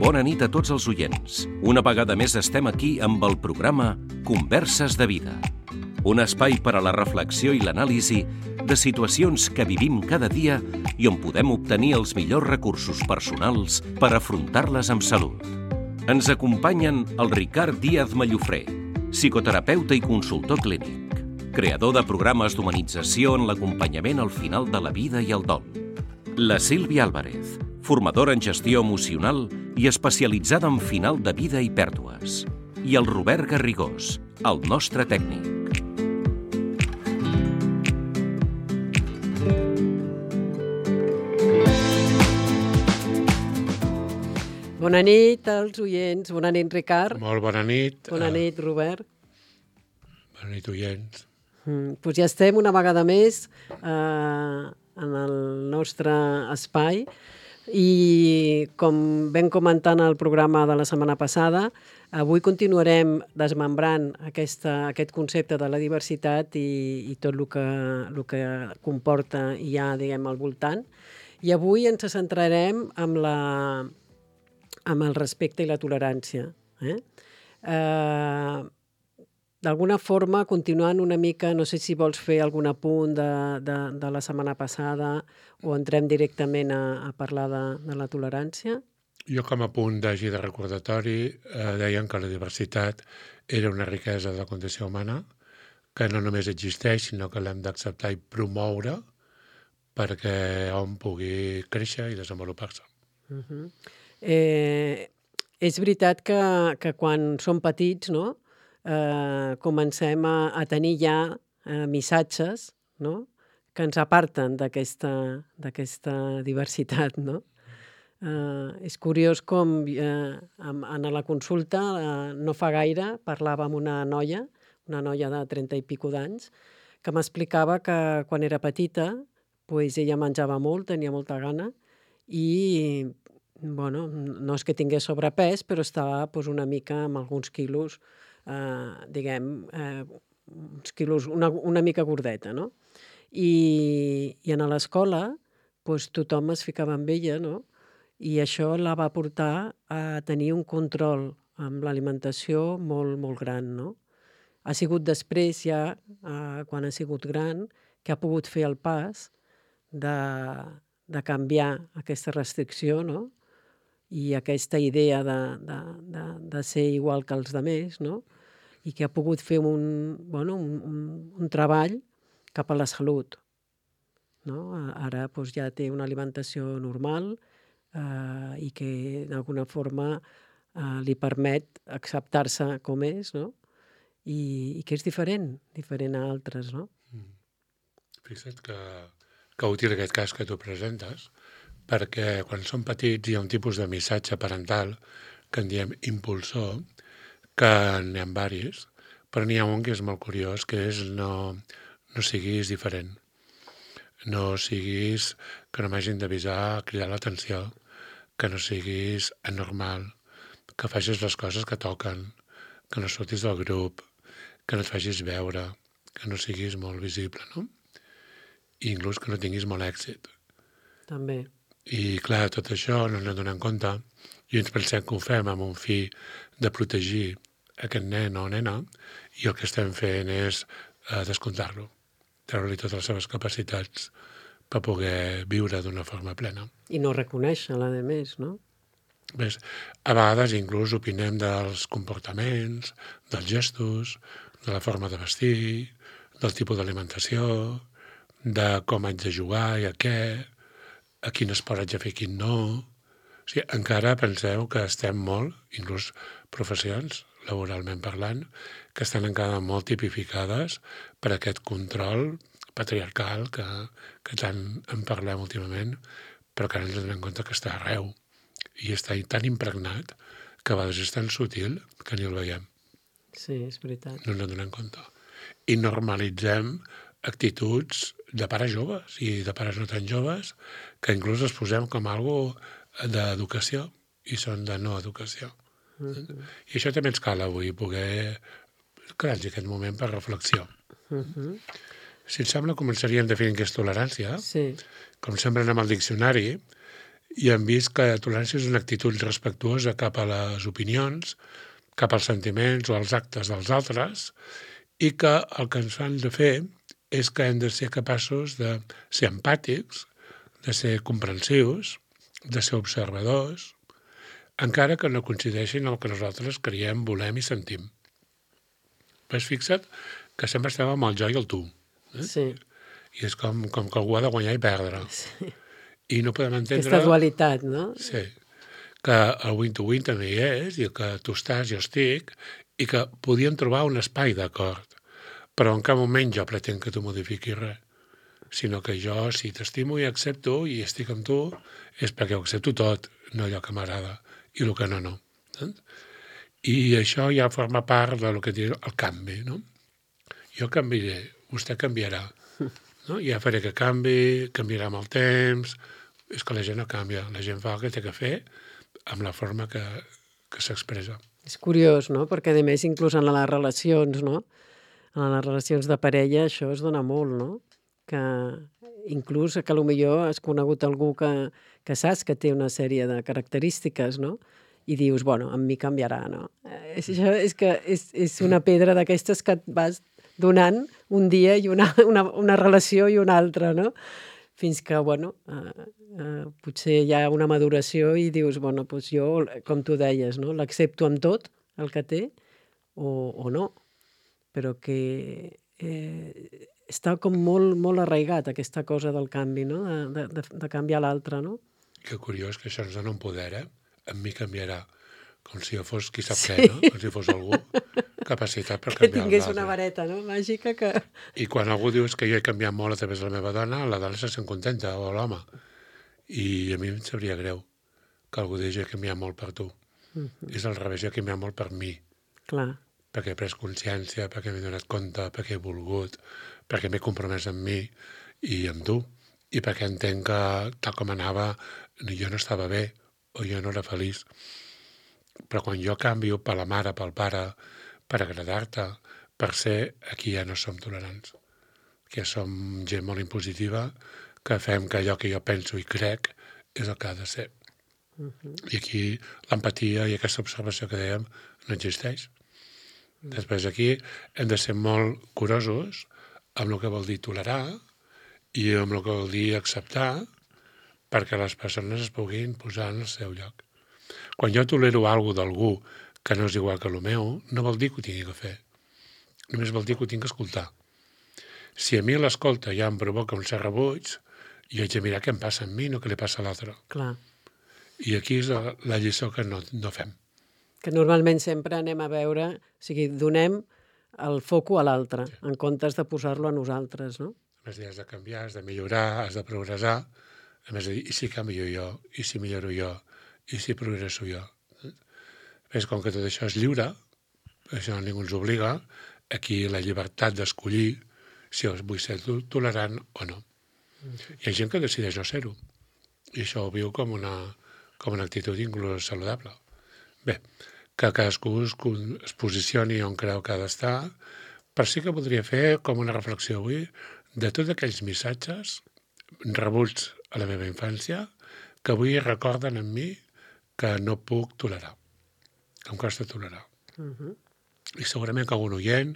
Bona nit a tots els oients. Una vegada més estem aquí amb el programa Converses de Vida. Un espai per a la reflexió i l'anàlisi de situacions que vivim cada dia i on podem obtenir els millors recursos personals per afrontar-les amb salut. Ens acompanyen el Ricard Díaz Mallofré, psicoterapeuta i consultor clínic, creador de programes d'humanització en l'acompanyament al final de la vida i el dol. La Sílvia Álvarez, formadora en gestió emocional i especialitzada en final de vida i pèrdues. I el Robert Garrigós, el nostre tècnic. Bona nit als oients. Bona nit, Ricard. Molt bona nit. Bona nit, Robert. Bona nit, oients. Doncs ja estem una vegada més en el nostre espai i, com vam comentar en el programa de la setmana passada, avui continuarem desmembrant aquest concepte de la diversitat i tot el que comporta i hi ha, diguem, al voltant. I avui ens centrarem amb el respecte i la tolerància. D'alguna forma, continuant una mica, no sé si vols fer algun apunt de la setmana passada o entrem directament a parlar de la tolerància. Jo, com a punt de recordatori, deien que la diversitat era una riquesa de la condició humana, que no només existeix, sinó que l'hem d'acceptar i promoure perquè hom pugui créixer i desenvolupar-se. És veritat que quan som petits, no?, comencem a tenir ja missatges, no?, que ens aparten d'aquesta diversitat, no? És curiós com en la consulta no fa gaire parlava amb una noia de 30 i pico d'anys, que m'explicava que quan era petita ella menjava molt, tenia molta gana i no és que tingués sobrepès, però estava una mica amb alguns quilos, uns quilos una mica gordeta, no? I a l'escola tothom es ficava amb ella, no? I això la va portar a tenir un control amb l'alimentació molt, molt gran, no? Ha sigut després ja, quan ha sigut gran, que ha pogut fer el pas de canviar aquesta restricció, no?, i aquesta idea de ser igual que els altres, no?, i que ha pogut fer un treball cap a la salut, no? Ara ja té una alimentació normal i que d'alguna forma li permet acceptar-se com és, no?, i que és diferent a altres, no? Fixa't que útil aquest cas que tu presentes, perquè quan som petits hi ha un tipus de missatge parental que en diem impulsor, que n'hi ha diversos, però n'hi ha un que és molt curiós, que és no siguis diferent. No siguis que no m'hagin d'avisar, cridar l'atenció, que no siguis anormal, que facis les coses que toquen, que no surtis del grup, que no et facis veure, que no siguis molt visible, no? I inclús que no tinguis molt èxit. També. I clar, tot això no ens adonem compte i ens pensem que ho fem amb un fi de protegir aquest nen o nena i el que estem fent és descomptar-lo, treure-li totes les seves capacitats per poder viure d'una forma plena. I no reconèixer-la, a més, no? Ves, a vegades inclús opinem dels comportaments, dels gestos, de la forma de vestir, del tipus d'alimentació, de com haig de jugar i a què, a quin esport haig de fer i quin no. O sigui, encara penseu que estem molt, inclús professions, laboralment parlant, que estan encara molt tipificades per aquest control patriarcal que tant en parlem últimament, però que ara ens donem compte que està arreu i està tan impregnat que a vegades és tan sutil que ni el veiem. Sí, és veritat. No ens en donem compte. I normalitzem actituds de pares joves i de pares no tan joves que inclús els posem com algo d'educació i són de no educació. I això també ens cal avui poder crear-nos aquest moment per reflexió. Si et sembla, començaríem definint què és tolerància. Sí. Com sempre anem al diccionari i hem vist que tolerància és una actitud respectuosa cap a les opinions, cap als sentiments o als actes dels altres, i que el que ens han de fer és que hem de ser capaços de ser empàtics, de ser comprensius, de ser observadors, encara que no coincideixin amb el que nosaltres creiem, volem i sentim. Però fixa't que sempre estem amb el jo i el tu. Sí. I és com que algú ha de guanyar i perdre. Sí. I no podem entendre... Aquesta dualitat, no? Sí, que el win-to-win també hi és, i que tu estàs, jo estic, i que podíem trobar un espai d'acord, però en cap moment jo pretenc que tu modifiquis res, sinó que jo, si t'estimo i accepto i estic amb tu, és perquè ho accepto tot, no allò que m'agrada, i el que no, no. I això ja forma part del que diu el canvi, no? Jo canviaré, vostè canviarà, no? Ja faré que canvi, canviarà amb el temps. És que la gent no canvia, la gent fa el que té que fer amb la forma que s'expressa. És curiós, no? Perquè, a més, inclús en les relacions, no? En les relacions de parella això es dona molt, no? Que inclús que potser has conegut algú que saps que té una sèrie de característiques, no? I dius, bueno, amb mi canviarà, no? Això és que és una pedra d'aquestes que et vas donant un dia i una relació i una altra, no? Fins que, bueno, potser hi ha una maduració i dius, bueno, doncs jo, com tu deies, no? L'accepto amb tot el que té o no, però que està com molt arraigat aquesta cosa del canvi, no? De canviar l'altre, no? Que curiós que això ens dona un poder, eh? Amb mi canviarà, com si jo fos qui sap què, no? Com si fos algú capacitat per canviar l'altre. Que tingués una vareta, no? Màgica que... I quan algú diu que jo he canviat molt a través de la meva dona, la dona se sent contenta, o l'home. I a mi em sabria greu que algú digui que he canviat molt per tu. És al revés, jo he canviat molt per mi. Clar. Perquè he pres consciència, perquè m'he donat compte, perquè he volgut, perquè m'he compromès amb mi i amb tu. I perquè entenc que, tal com anava, jo no estava bé o jo no era feliç. Però quan jo canvio per la mare, pel pare, per agradar-te, per ser, aquí ja no som tolerants. Que som gent molt impositiva, que fem que allò que jo penso i crec és el que ha de ser. I aquí l'empatia i aquesta observació que dèiem no existeix. Després aquí hem de ser molt curosos amb el que vol dir tolerar i amb el que vol dir acceptar perquè les persones es puguin posar en el seu lloc. Quan jo tolero alguna cosa d'algú que no és igual que el meu, no vol dir que ho tingui que fer. Només vol dir que ho tinc que escoltar. Si a mi l'escolta ja em provoca un cert rebuig, jo haig de mirar què em passa a mi, no què li passa a l'altre. Clar. I aquí és la lliçó que no fem. Que normalment sempre anem a veure, o sigui, donem el foco a l'altre, sí, en comptes de posar-lo a nosaltres, no? A més, has de canviar, has de millorar, has de progressar. A més, i si canvio jo, i si milloro jo, i si progresso jo. És com que tot això és lliure, això ningú ens obliga, aquí la llibertat d'escollir si vull ser tolerant o no. Hi ha gent que decideix no ser-ho, i això ho viu com una actitud inclús saludable. Bé, que cadascú es posicioni on creu que ha d'estar, però sí que podria fer com una reflexió avui de tots aquells missatges rebuts a la meva infància que avui recorden en mi que no puc tolerar, que em costa tolerar. I segurament que algun oient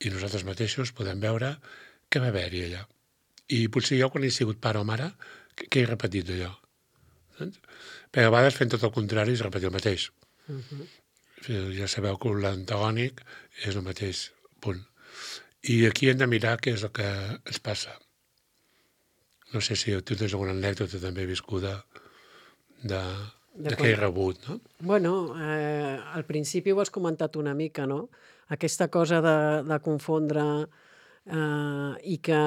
i nosaltres mateixos podem veure què va haver-hi allà. I potser jo, quan he sigut pare o mare, què he repetit d'allò? Perquè a vegades fent tot el contrari és repetir el mateix. Ja sabeu que l'antagònic és el mateix punt. I aquí hem de mirar què és el que ens passa. No sé si tu tens alguna anècdota també viscuda de què he rebut, no? Bueno, al principi ho has comentat una mica, no? Aquesta cosa de confondre i que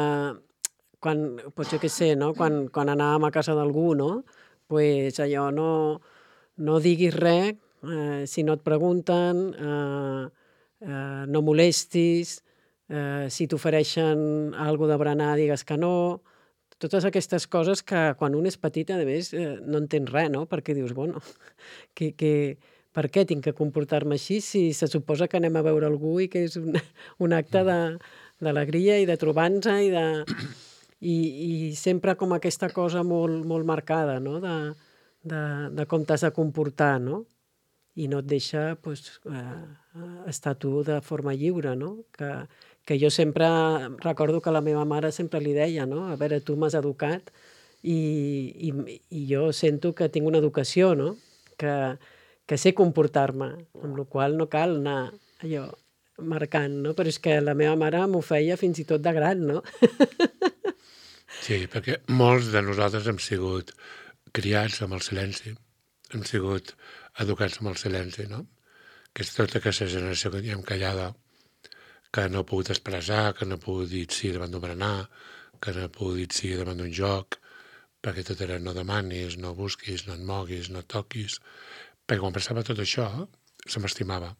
quan, doncs jo què sé, no? Quan anàvem a casa d'algú, no? Pues allò no diguis res si no et pregunten, no molestis, si t'ofereixen alguna de berenar digues que no. Totes aquestes coses que quan un és petit, a més, no entens res, no? Perquè dius, bueno, per què tinc que comportar-me així si se suposa que anem a veure algú i que és un acte d'alegria i de trobar-nos i sempre com aquesta cosa molt marcada, no? de com t'has de comportar, no? I no et deixa estar tu de forma lliure, no? Que jo sempre recordo que la meva mare sempre li deia, no? A veure, tu m'has educat i jo sento que tinc una educació, no? Que sé comportar-me, amb la qual no cal anar allò marcant, no? Però és que la meva mare m'ho feia fins i tot de gran, no? Sí, perquè molts de nosaltres hem sigut criats amb el silenci, hem sigut educats amb el silenci, no? Que és tota aquesta generació que diem callada, que no ha pogut expressar, que no ha pogut dir sí davant d'un berenar, que no ha pogut dir sí davant d'un joc, perquè tot era no demanis, no busquis, no et moguis, no et toquis. Perquè quan passava tot això, se m'estimava,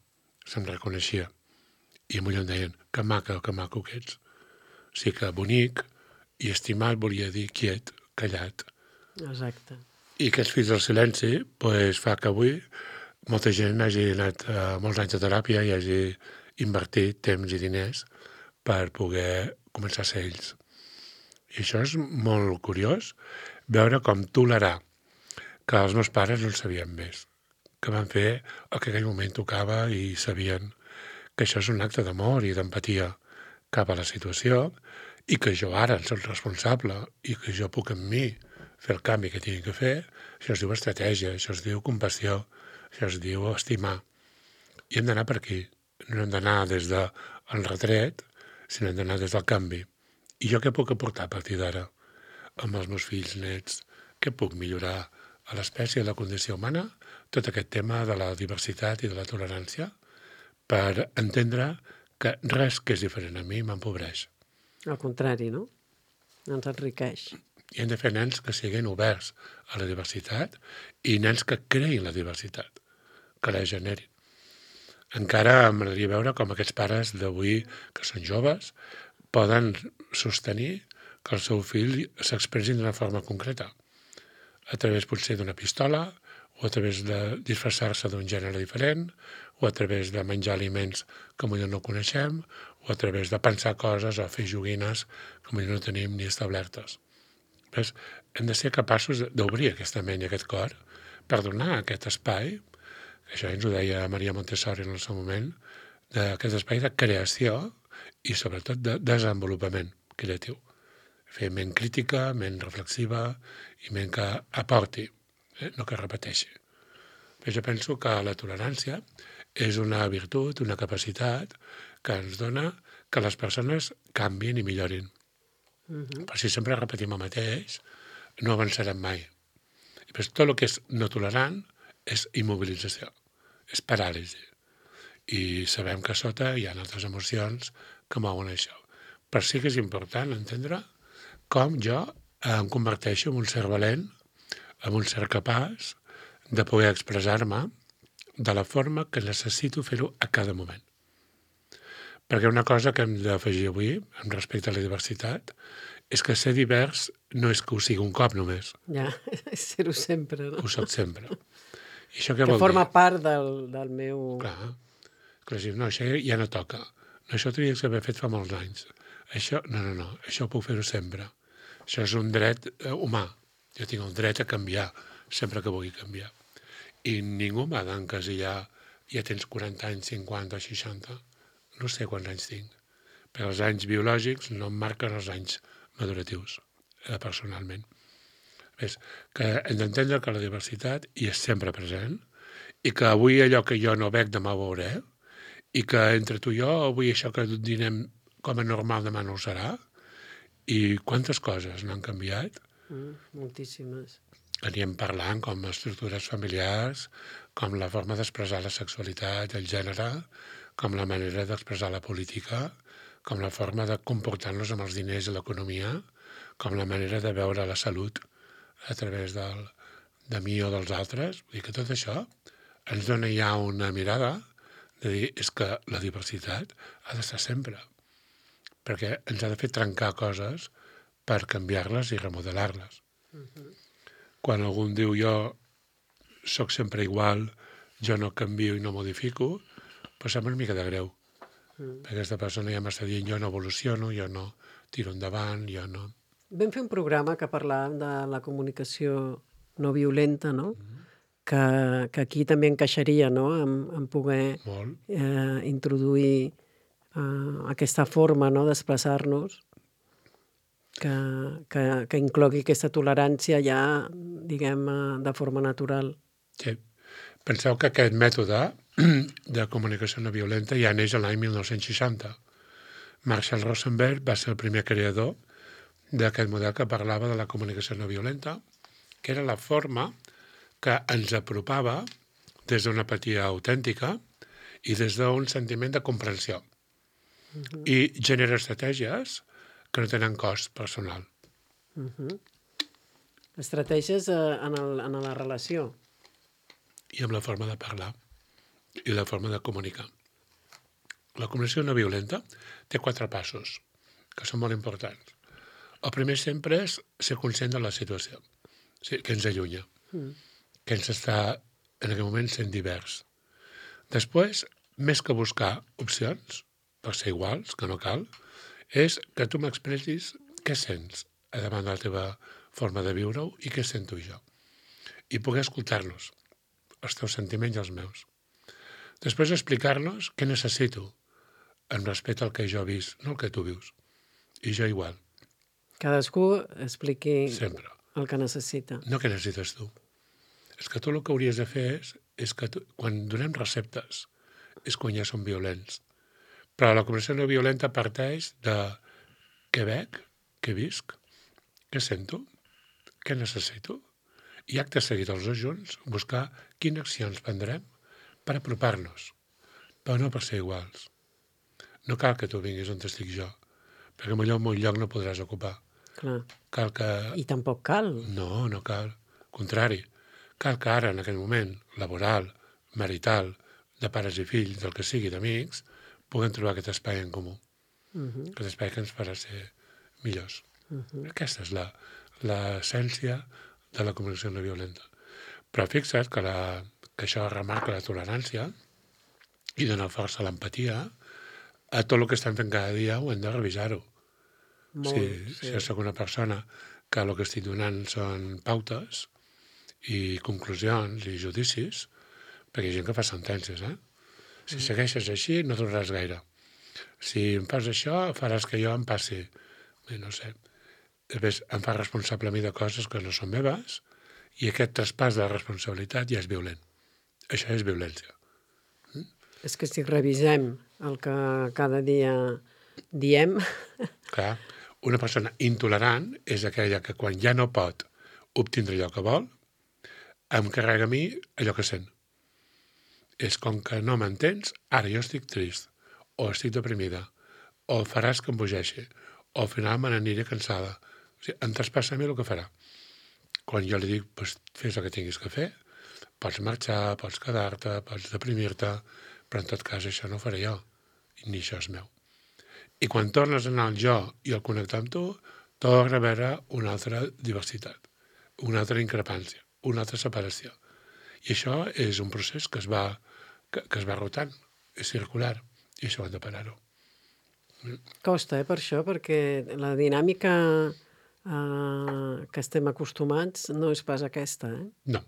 se'm reconeixia. I a em deien, que maco que ets. O sigui que bonic i estimat volia dir quiet, callat. Exacte. I aquests fills del silenci fa que avui molta gent hagi anat molts anys de teràpia i hagi invertit temps i diners per poder començar a ser ells. I això és molt curiós, veure com tolerar que els meus pares no en sabien més, que van fer el que en aquell moment tocava i sabien que això és un acte d'amor i d'empatia cap a la situació i que jo ara en soc responsable i que jo puc amb mi fer el canvi que tingui que fer. Això es diu estratègia, això es diu compassió, això es diu estimar. I hem d'anar per aquí. No hem d'anar des del retret, sinó hem d'anar des del canvi. I jo què puc aportar a partir d'ara amb els meus fills nets? Què puc millorar a l'espècie, a la condició humana? Tot aquest tema de la diversitat i de la tolerància per entendre que res que és diferent a mi m'empobreix. Al contrari, no? Ens enriqueix. I hem de fer nens que siguin oberts a la diversitat i nens que creïn la diversitat, que la generin. Encara m'agradaria veure com aquests pares d'avui, que són joves, poden sostenir que el seu fill s'expressi d'una forma concreta, a través potser d'una pistola, o a través de disfressar-se d'un gènere diferent, o a través de menjar aliments que potser no coneixem, o a través de pensar coses o fer joguines que potser no tenim ni establertes. Ves? Hem de ser capaços d'obrir aquesta ment i aquest cor per donar aquest espai, això ens ho deia Maria Montessori en el seu moment, d'aquest espai de creació i sobretot de desenvolupament creatiu. Fer ment crítica, ment reflexiva i ment que aporti, no que repeteixi. Però jo penso que la tolerància és una virtut, una capacitat que ens dona que les persones canvin i millorin. Però si sempre repetim el mateix, no avançarem mai. I tot el que és no tolerant és immobilització, és paràlisi. I sabem que a sota hi ha altres emocions que mouen això. Però sí que és important entendre com jo em converteixo en un ser valent, en un ser capaç de poder expressar-me de la forma que necessito fer-ho a cada moment. Perquè una cosa que hem d'afegir avui, amb respecte a la diversitat, és que ser divers no és que ho sigui un cop només. Ja, és ser-ho sempre, no? Ho soc sempre. I això què Que vol dir? forma part del meu... Clar. No, això ja no toca. No, això tenia que haver fet fa molts anys. Això, no, això puc fer-ho sempre. Això és un dret humà. Jo tinc el dret a canviar sempre que vulgui canviar. I ningú m'ha d'encasillar, ja tens 40 anys, 50 o 60. No sé quants anys tinc. Perquè els anys biològics no em marquen els anys maduratius, personalment. És que hem d'entendre que la diversitat hi és sempre present i que avui allò que jo no veig demà ho veuré i que entre tu i jo avui això que dinem com a normal demà no ho serà i quantes coses no han canviat. Moltíssimes. Aníem parlant com estructures familiars, com la forma d'expressar la sexualitat, el gènere, com la manera d'expressar la política, com la forma de comportar-nos amb els diners i l'economia, com la manera de veure la salut a través de mi o dels altres. Vull dir que tot això ens dona ja una mirada de dir és que la diversitat ha d'estar sempre, perquè ens ha de fer trencar coses per canviar-les i remodelar-les. Quan algú diu jo sóc sempre igual, jo no canvio i no modifico, però sembla una mica de greu. Perquè aquesta persona ja m'està dient jo no evoluciono, jo no tiro endavant, jo no... Vam fer un programa que parlàvem de la comunicació no violenta, no? Que aquí també encaixaria, no?, en poder introduir aquesta forma, no?, d'expressar-nos que inclogui aquesta tolerància ja, diguem, de forma natural. Sí. Penseu que aquest mètode de comunicació no violenta ja neix l'any 1960. Marshall Rosenberg va ser el primer creador d'aquest model que parlava de la comunicació no violenta, que era la forma que ens apropava des d'una empatia autèntica i des d'un sentiment de comprensió. I genera estratègies que no tenen cost personal. Estratègies en la relació. I amb la forma de parlar i la forma de comunicar. La comunicació no violenta té 4 passos, que són molt importants. El primer sempre és ser conscient de la situació, que ens allunya, que ens està en aquell moment sent divers. Després, més que buscar opcions per ser iguals, que no cal, és que tu m'expressis què sents davant de la teva forma de viure-ho i què sento jo. I poder escoltar-los, els teus sentiments i els meus. Després explicar-los què necessito en respecte al que jo he vist, no el que tu vius. I jo igual. Cadascú expliqui sempre el que necessita. No què necessites tu. És que tu el que hauries de fer és que quan donem receptes és quan ja són violents. Però la comunicació no violenta parteix de què veig, què visc, què sento, què necessito. I acte seguit els dos junts buscar quines accions prendrem per apropar-nos, però no per ser iguals. No cal que tu vinguis on estic jo, perquè millor en un lloc no podràs ocupar. Clar. Cal que... I tampoc cal. No, no cal. Al contrari. Cal que ara, en aquest moment, laboral, marital, de pares i fills, del que sigui, d'amics, puguem trobar aquest espai en comú. Aquest espai que ens farà ser millors. Aquesta és l'essència de la comunicació no violenta. Però fixa't que això remarca la tolerància i dona força a l'empatia. A tot el que estem fent cada dia ho hem de revisar-ho. Si jo soc una persona que el que estic donant són pautes i conclusions i judicis, perquè hi ha gent que fa sentències, Si segueixes així no duraràs gaire. Si em fas això, faràs que jo em passi. Bé, no sé. Després em fa responsable a mi de coses que no són meves i aquest traspàs de la responsabilitat ja és violent. Això és violència. És que si revisem el que cada dia diem... Clar, una persona intolerant és aquella que quan ja no pot obtindre allò que vol, em carrega a mi allò que sent. És com que no m'entens, ara jo estic trist, o estic deprimida, o faràs que em bogeixi, o al final me n'aniré cansada. O sigui, em traspassa a mi el que farà. Quan jo li dic, pues, fes el que tinguis que fer, pots marxar, pots quedar-te, pots deprimir-te, però en tot cas això no ho faré jo, ni això és meu. I quan tornes a anar al jo i al connectar amb tu, torna a veure una altra diversitat, una altra increpància, una altra separació. I això és un procés que es va rotant, és circular, i això ho hem de parar-ho. Costa, per això, perquè la dinàmica que estem acostumats no és pas aquesta, No,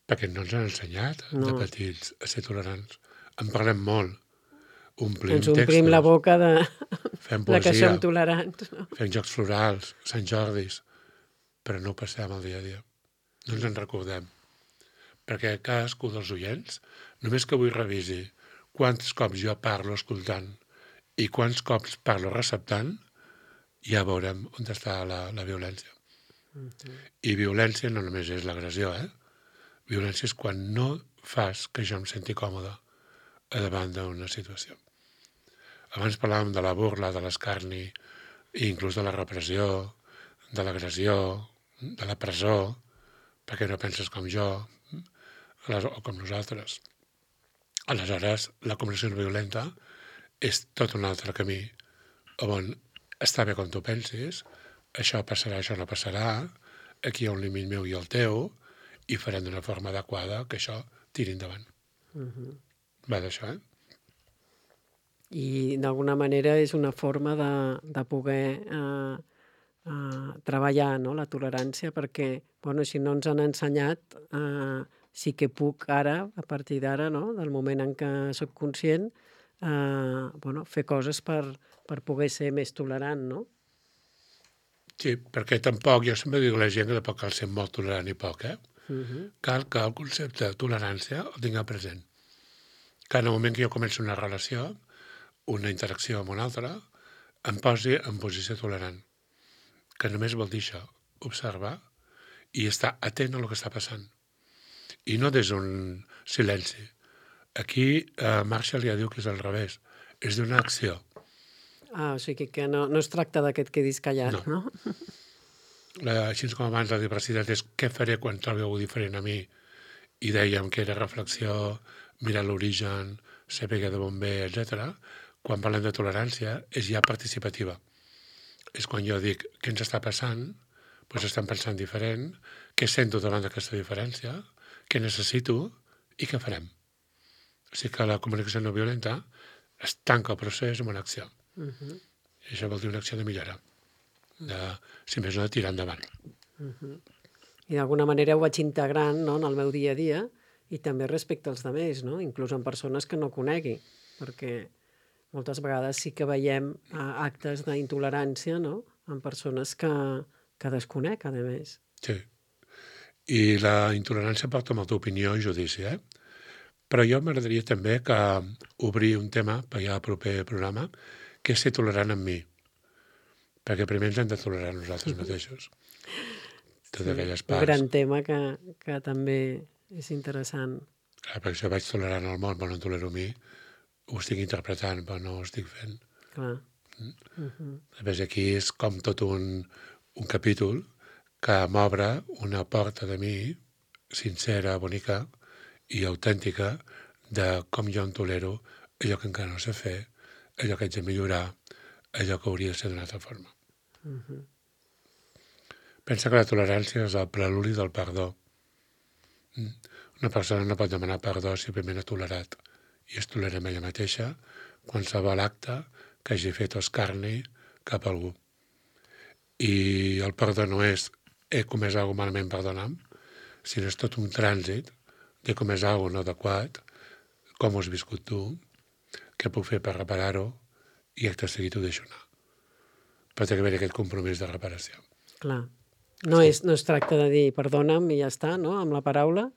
perquè no ens han ensenyat de petits a ser tolerants. En parlem molt. Ens omplim la boca de que som tolerants. Fem jocs florals, Sant Jordis, però no ho passem al dia a dia. No ens en recordem. Perquè cadascú dels oients, només que avui revisi quants cops jo parlo escoltant i quants cops parlo receptant, ja veurem on està la violència. I violència no només és l'agressió, Violència és quan no fas que jo em senti còmode davant d'una situació. Abans parlàvem de la burla, de l'escarni, i inclús de la repressió, de l'agressió, de la presó, perquè no penses com jo, o com nosaltres. Aleshores, la comunicació no violenta és tot un altre camí on està bé com tu pensis, això passarà, això no passarà, aquí hi ha un límit meu i el teu, i farem d'una forma adequada que això tiri endavant. Va d'això, I d'alguna manera és una forma de poder treballar, no?, la tolerància, perquè, bueno, si no ens han ensenyat, sí que puc ara, a partir d'ara, no?, del moment en què soc conscient, bueno, fer coses per poder ser més tolerant, no? Sí, perquè tampoc, jo sempre dic a la gent que tampoc cal ser molt tolerant i poc, Cal que el concepte de tolerància el tingueu present. Que en el moment que jo començo una relació, una interacció amb una altra, em posi en posició tolerant. Que només vol dir això, observar i estar atent a el que està passant. I no des d'un silenci. Aquí Marshall ja diu que és al revés. És d'una acció. O sigui que no es tracta que et quedis callat, no? Així com abans la diversitat és què faré quan trobi algú diferent a mi, i dèiem que era reflexió, mirar l'origen, saber de on ve, etc. Quan parlem de tolerància és ja participativa. És quan jo dic què ens està passant, doncs estem pensant diferent, què sento davant d'aquesta diferència, què necessito i què farem. O sigui que la comunicació no violenta es tanca el procés amb una acció. I això vol dir una acció de millora. Si més no, de tirar endavant. I d'alguna manera ho vaig integrant, no?, en el meu dia a dia i també respecte als altres, no?, inclús en persones que no conegui, perquè moltes vegades sí que veiem actes d'intolerància, no?, en persones que desconec, a més. Sí. I la intolerància porta molta opinió i judici, Però jo m'agradaria també que obrir un tema per ja al proper programa, que és ser tolerant amb mi. Perquè primer ens hem de tolerar nosaltres mateixos. Totes aquelles parts. Un gran tema que també és interessant. Clar, perquè si vaig tolerant el món, però no tolero a mi, ho estic interpretant, però no ho estic fent. Clar. Després aquí és com tot un capítol que m'obre una porta de mi sincera, bonica i autèntica de com jo en tolero allò que encara no sé fer, allò que haig de millorar, allò que hauria de ser d'una altra forma. Pensa que la tolerància és el preludi del perdó. Una persona no pot demanar perdó si primer no ha tolerat, i es tolera amb ella mateixa qualsevol acte que hagi fet o escarni cap a algú. I el perdó no és he comès alguna cosa malament, perdona'm, sinó és tot un trànsit de comès alguna cosa no adequat, com ho has viscut tu, què puc fer per reparar-ho, i acte seguit ho deixo anar. Però té que haver aquest compromís de reparació. Clar. No es tracta de dir perdona'm i ja està, no?, amb la paraula,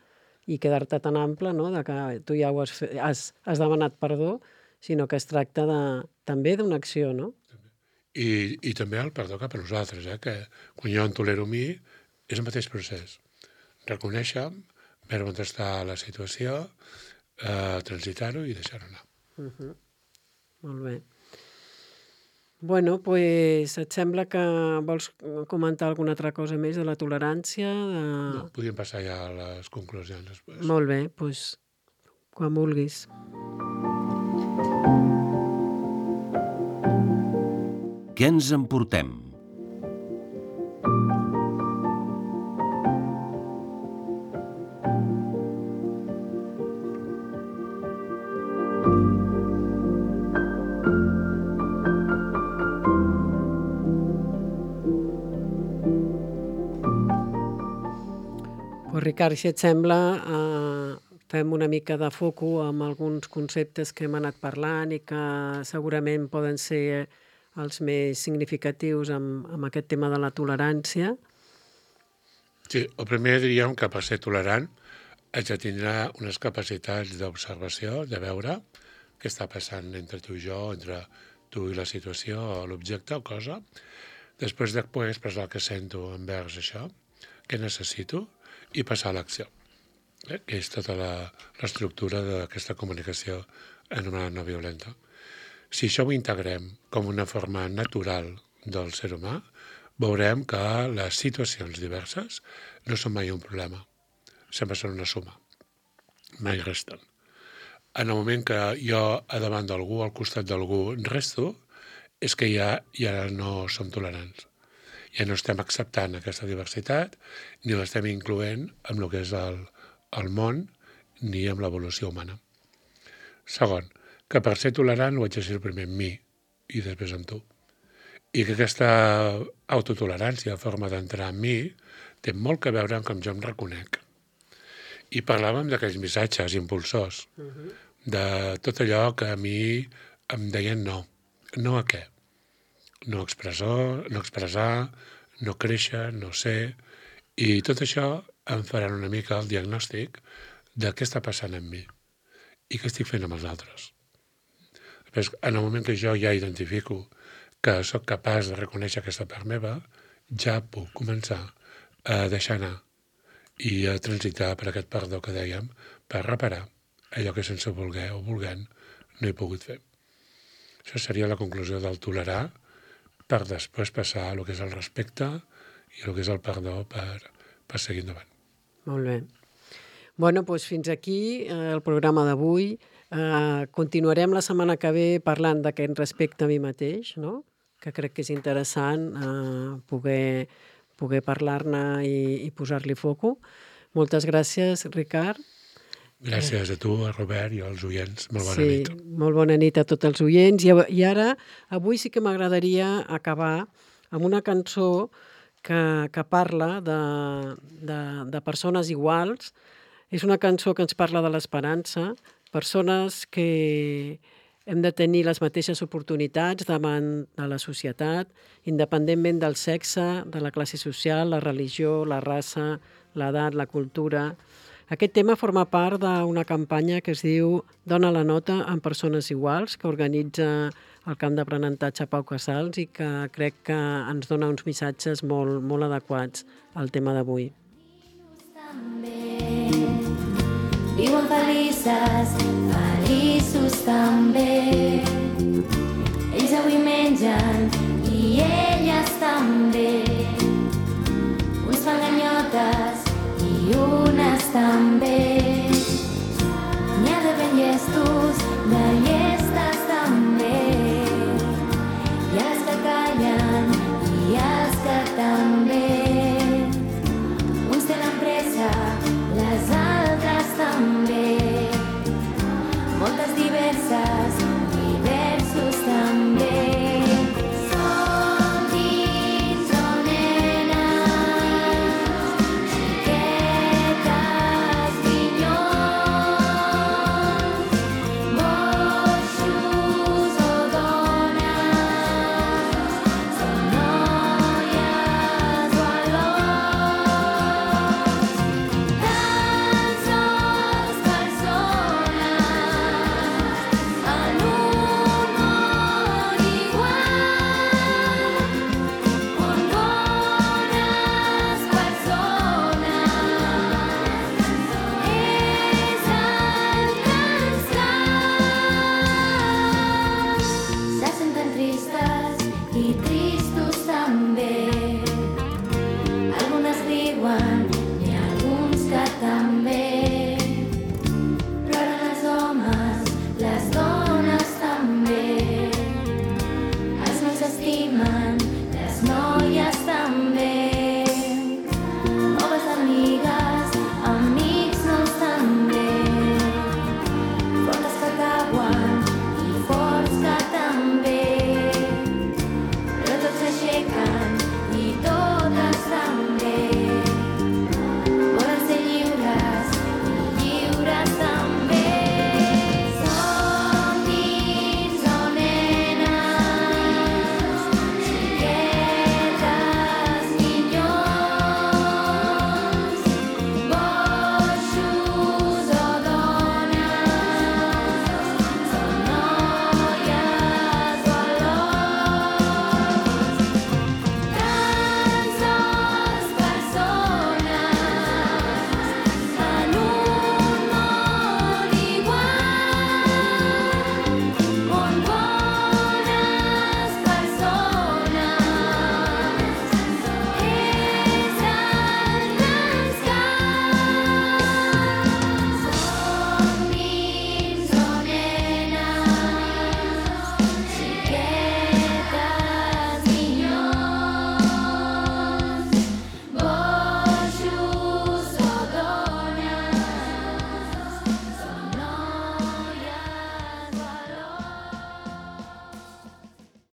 i quedar-te tan ample, no?, de que tu ja ho has demanat perdó, sinó que es tracta també d'una acció, no? I també el perdó cap a nosaltres, que quan jo en tolero a mi és el mateix procés. Reconèixer, veure on està la situació, transitar-ho i deixar-ho anar. Molt bé. Bueno, doncs et sembla que vols comentar alguna altra cosa més de la tolerància? No, podríem passar ja a les conclusions després. Molt bé, doncs quan vulguis. Què ens emportem? Ricard, si et sembla, fem una mica de foco amb alguns conceptes que hem anat parlant i que segurament poden ser els més significatius amb aquest tema de la tolerància. Sí, el primer diríem que per ser tolerant haig de tindre unes capacitats d'observació, de veure què està passant entre tu i jo, entre tu i la situació, o l'objecte o cosa. Després de poder expressar el que sento envers això, què necessito, i passar a l'acció, que és tota l'estructura d'aquesta comunicació anomenada no violenta. Si això ho integrem com una forma natural del ser humà, veurem que les situacions diverses no són mai un problema, sempre són una suma, mai resten. En el moment que jo a davant d'algú, al costat d'algú, resto, és que ja no som tolerants. Ja no estem acceptant aquesta diversitat ni l'estem incloent amb el que és el món ni amb l'evolució humana. Segon, que per ser tolerant ho haig de ser primer amb mi i després amb tu. I que aquesta autotolerància, forma d'entrar en mi, té molt que veure amb com jo em reconec. I parlàvem d'aquells missatges impulsors, de tot allò que a mi em deien no. No a què? No expressar, no créixer, no ser... I tot això em farà una mica el diagnòstic de què està passant amb mi i què estic fent amb els altres. Després, en el moment que jo ja identifico que sóc capaç de reconèixer aquesta part meva, ja puc començar a deixar anar i a transitar per aquest perdó que dèiem, per reparar allò que sense voler o volent no he pogut fer. Això seria la conclusió del tolerar per després passar a el que és el respecte i el que és el perdó per seguir endavant. Molt bé. Bueno, doncs fins aquí el programa d'avui. Continuarem la setmana que ve parlant d'aquest respecte a mi mateix, no? Que crec que és interessant poder parlar-ne i posar-li foco. Moltes gràcies, Ricard. Gràcies a tu, a Robert i als oients. Molt bona nit. Sí, molt bona nit a tots els oients. I ara, avui sí que m'agradaria acabar amb una cançó que parla de persones iguals. És una cançó que ens parla de l'esperança, persones que hem de tenir les mateixes oportunitats davant de la societat, independentment del sexe, de la classe social, la religió, la raça, l'edat, la cultura. Aquest tema forma part d'una campanya que es diu Dona la nota amb persones iguals, que organitza el camp d'aprenentatge Pau Casals i que crec que ens dona uns missatges molt, molt adequats al tema d'avui. Viuen feliços també. Ells avui mengen i elles també. Uns fan ganyotes i unes també. N'hi ha de ben llestos, de llestes també. Hi ha les que callen i els que també. Uns tenen pressa, les altres també. Moltes diverses, diversos també. Som dins o nenes, xiquetes, pinyons, boixos o dones, som noies o alons, tan sols persones en un món igual, on bones persones és el que ens cal. Se senten tristes i tristos també. Algunes riuen i alguns que també. Ploren els homes, les dones també. Els nois s'estimen